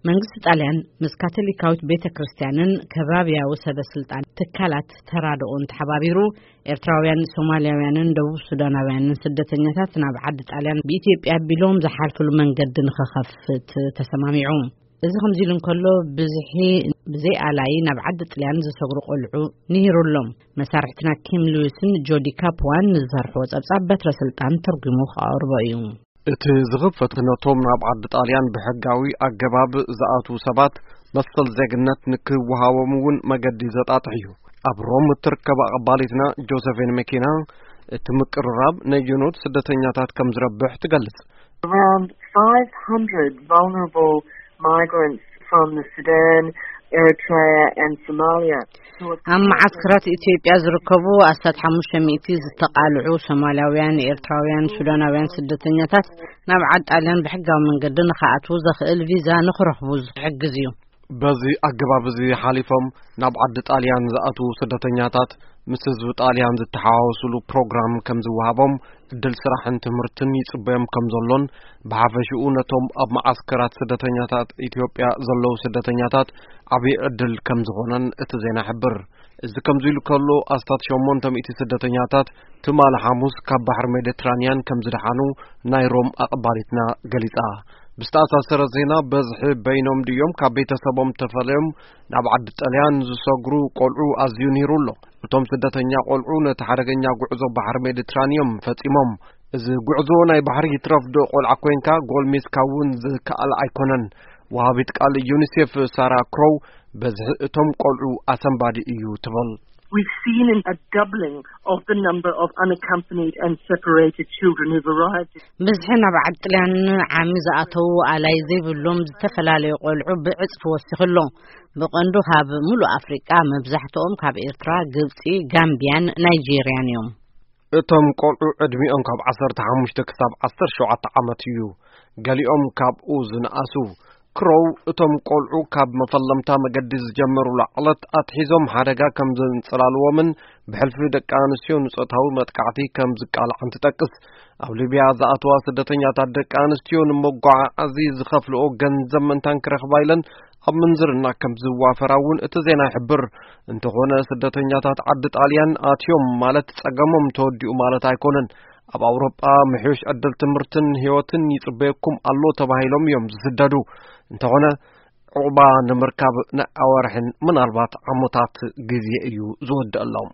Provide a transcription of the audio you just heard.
መንግስቲ ጣልያን ምስ ካቶሊካዊት ቤተ ክርስቲያንን ከባብያዊ ሰበ ስልጣን ትካላት ተራድኦን ተሓባቢሩ፣ ኤርትራውያን፣ ሶማልያውያንን ደቡብ ሱዳናውያንን ስደተኛታት ናብ ዓዲ ጣልያን ብኢትዮጵያ ኣቢሎም ዝሓልፍሉ መንገዲ ንኸኸፍት ተሰማሚዑ። እዚ ከምዚ ኢሉ እንከሎ፣ ብዝሒ ብዘይ ኣላይ ናብ ዓዲ ጥልያን ዝሰግሩ ቆልዑ ንሂሩ ኣሎም። መሳርሕትና ኪም ሉዊስን ጆዲ ካፕዋን ንዝሰርሕዎ ጸብጻብ በትረ ስልጣን ተርጉሙ ክኣቅርቦ እዩ። እቲ ዝኽፈት ነቶም ናብ ዓዲ ጣልያን ብሕጋዊ ኣገባብ ዝኣትዉ ሰባት መሰል ዜግነት ንክወሃቦም እውን መገዲ ዘጣጥሕ እዩ። ኣብ ሮም እትርከብ ኣቐባሊትና ጆሰፊን መኪና፣ እቲ ምቅርራብ ነየኖት ስደተኛታት ከም ዝረብሕ ትገልጽ። Around five hundred vulnerable migrants from the Sudan, Eritrea and Somalia. ኣብ መዓስከራት ኢትዮጵያ ዝርከቡ ኣስታት ሓሙሽተ ሚእቲ ዝተቓልዑ ሶማልያውያን፣ ኤርትራውያን፣ ሱዳናውያን ስደተኛታት ናብ ዓዲ ጣልያን ብሕጋዊ መንገዲ ንኽኣትዉ ዘኽእል ቪዛ ንኽረኽቡ ዝሕግዝ እዩ። በዚ ኣገባብ እዚ ሓሊፎም ናብ ዓዲ ጣልያን ዝኣትዉ ስደተኛታት ምስ ህዝቢ ጣልያን ዝተሓዋወሱሉ ፕሮግራም ከም ዝወሃቦም፣ ዕድል ስራሕን ትምህርትን ይጽበዮም ከም ዘሎን፣ ብሓፈሽኡ ነቶም ኣብ መዓስከራት ስደተኛታት ኢትዮጵያ ዘለዉ ስደተኛታት ዓብዪ ዕድል ከም ዝኾነን እቲ ዜና ይሕብር። እዚ ከምዚ ኢሉ ከሎ፣ ኣስታት ሸሞንተ ሚእቲ ስደተኛታት ትማሊ ሓሙስ ካብ ባሕሪ ሜዲትራንያን ከም ዝደሓኑ ናይ ሮም ኣቐባሊትና ገሊጻ። ብዝተኣሳሰረ ዜና፣ በዝሒ በይኖም ድዮም ካብ ቤተሰቦም ተፈልዮም ናብ ዓዲ ጣልያን ዝሰግሩ ቆልዑ ኣዝዩ ንሂሩ ኣሎ። እቶም ስደተኛ ቆልዑ ነቲ ሓደገኛ ጉዕዞ ባሕሪ ሜዲትራንዮም ፈጺሞም። እዚ ጉዕዞ ናይ ባሕሪ ይትረፍ ዶ ቆልዓ ኮይንካ ጎልሚስካ እውን ዝከኣል ኣይኮነን። ወሃቢት ቃል ዩኒሴፍ ሳራ ክሮው፣ በዝሒ እቶም ቆልዑ ኣሰንባዲ እዩ ትብል። We've seen a doubling of the number of unaccompanied and separated children who've arrived. ብዝሒ ናብ ዓዲ ጥልያን ዓሚ ዝኣተዉ ኣላይ ዘይብሎም ዝተፈላለዩ ቆልዑ ብዕጽፊ ወሲኹ ኣሎ። ብቐንዱ ካብ ምሉእ ኣፍሪቃ፣ መብዛሕትኦም ካብ ኤርትራ፣ ግብጺ፣ ጋምቢያን ናይጄርያን እዮም። እቶም ቆልዑ ዕድሚኦም ካብ ዓሰርተ ሓሙሽተ ክሳብ ዓሰርተ ሸውዓተ ዓመት እዩ። ገሊኦም ካብኡ ዝነኣሱ። ክሮው፣ እቶም ቆልዑ ካብ መፈለምታ መገዲ ዝጀመሩሉ ዕለት ኣትሒዞም ሓደጋ ከም ዘንጸላልዎምን ብሕልፊ ደቂ ኣንስትዮ ንጾታዊ መጥቃዕቲ ከም ዝቃልዓን ትጠቅስ። ኣብ ሊብያ ዝኣተዋ ስደተኛታት ደቂ ኣንስትዮ ንመጓዓዓዚ ዝኸፍልኦ ገንዘብ ምእንታን ክረኽባ ኢለን ኣብ ምንዝርና ከም ዝዋፈራ እውን እቲ ዜና ይሕብር። እንተኾነ፣ ስደተኛታት ዓዲ ጣልያን ኣትዮም ማለት ጸገሞም ተወዲኡ ማለት ኣይኮነን። ኣብ ኣውሮጳ ምሕዩሽ ዕድል ትምህርትን ህይወትን ይጽበየኩም ኣሎ ተባሂሎም እዮም ዝስደዱ። እንተኾነ፣ ዕቑባ ንምርካብ ናይ ኣዋርሕን ምናልባት ዓመታት ግዜ እዩ ዝወድአሎም።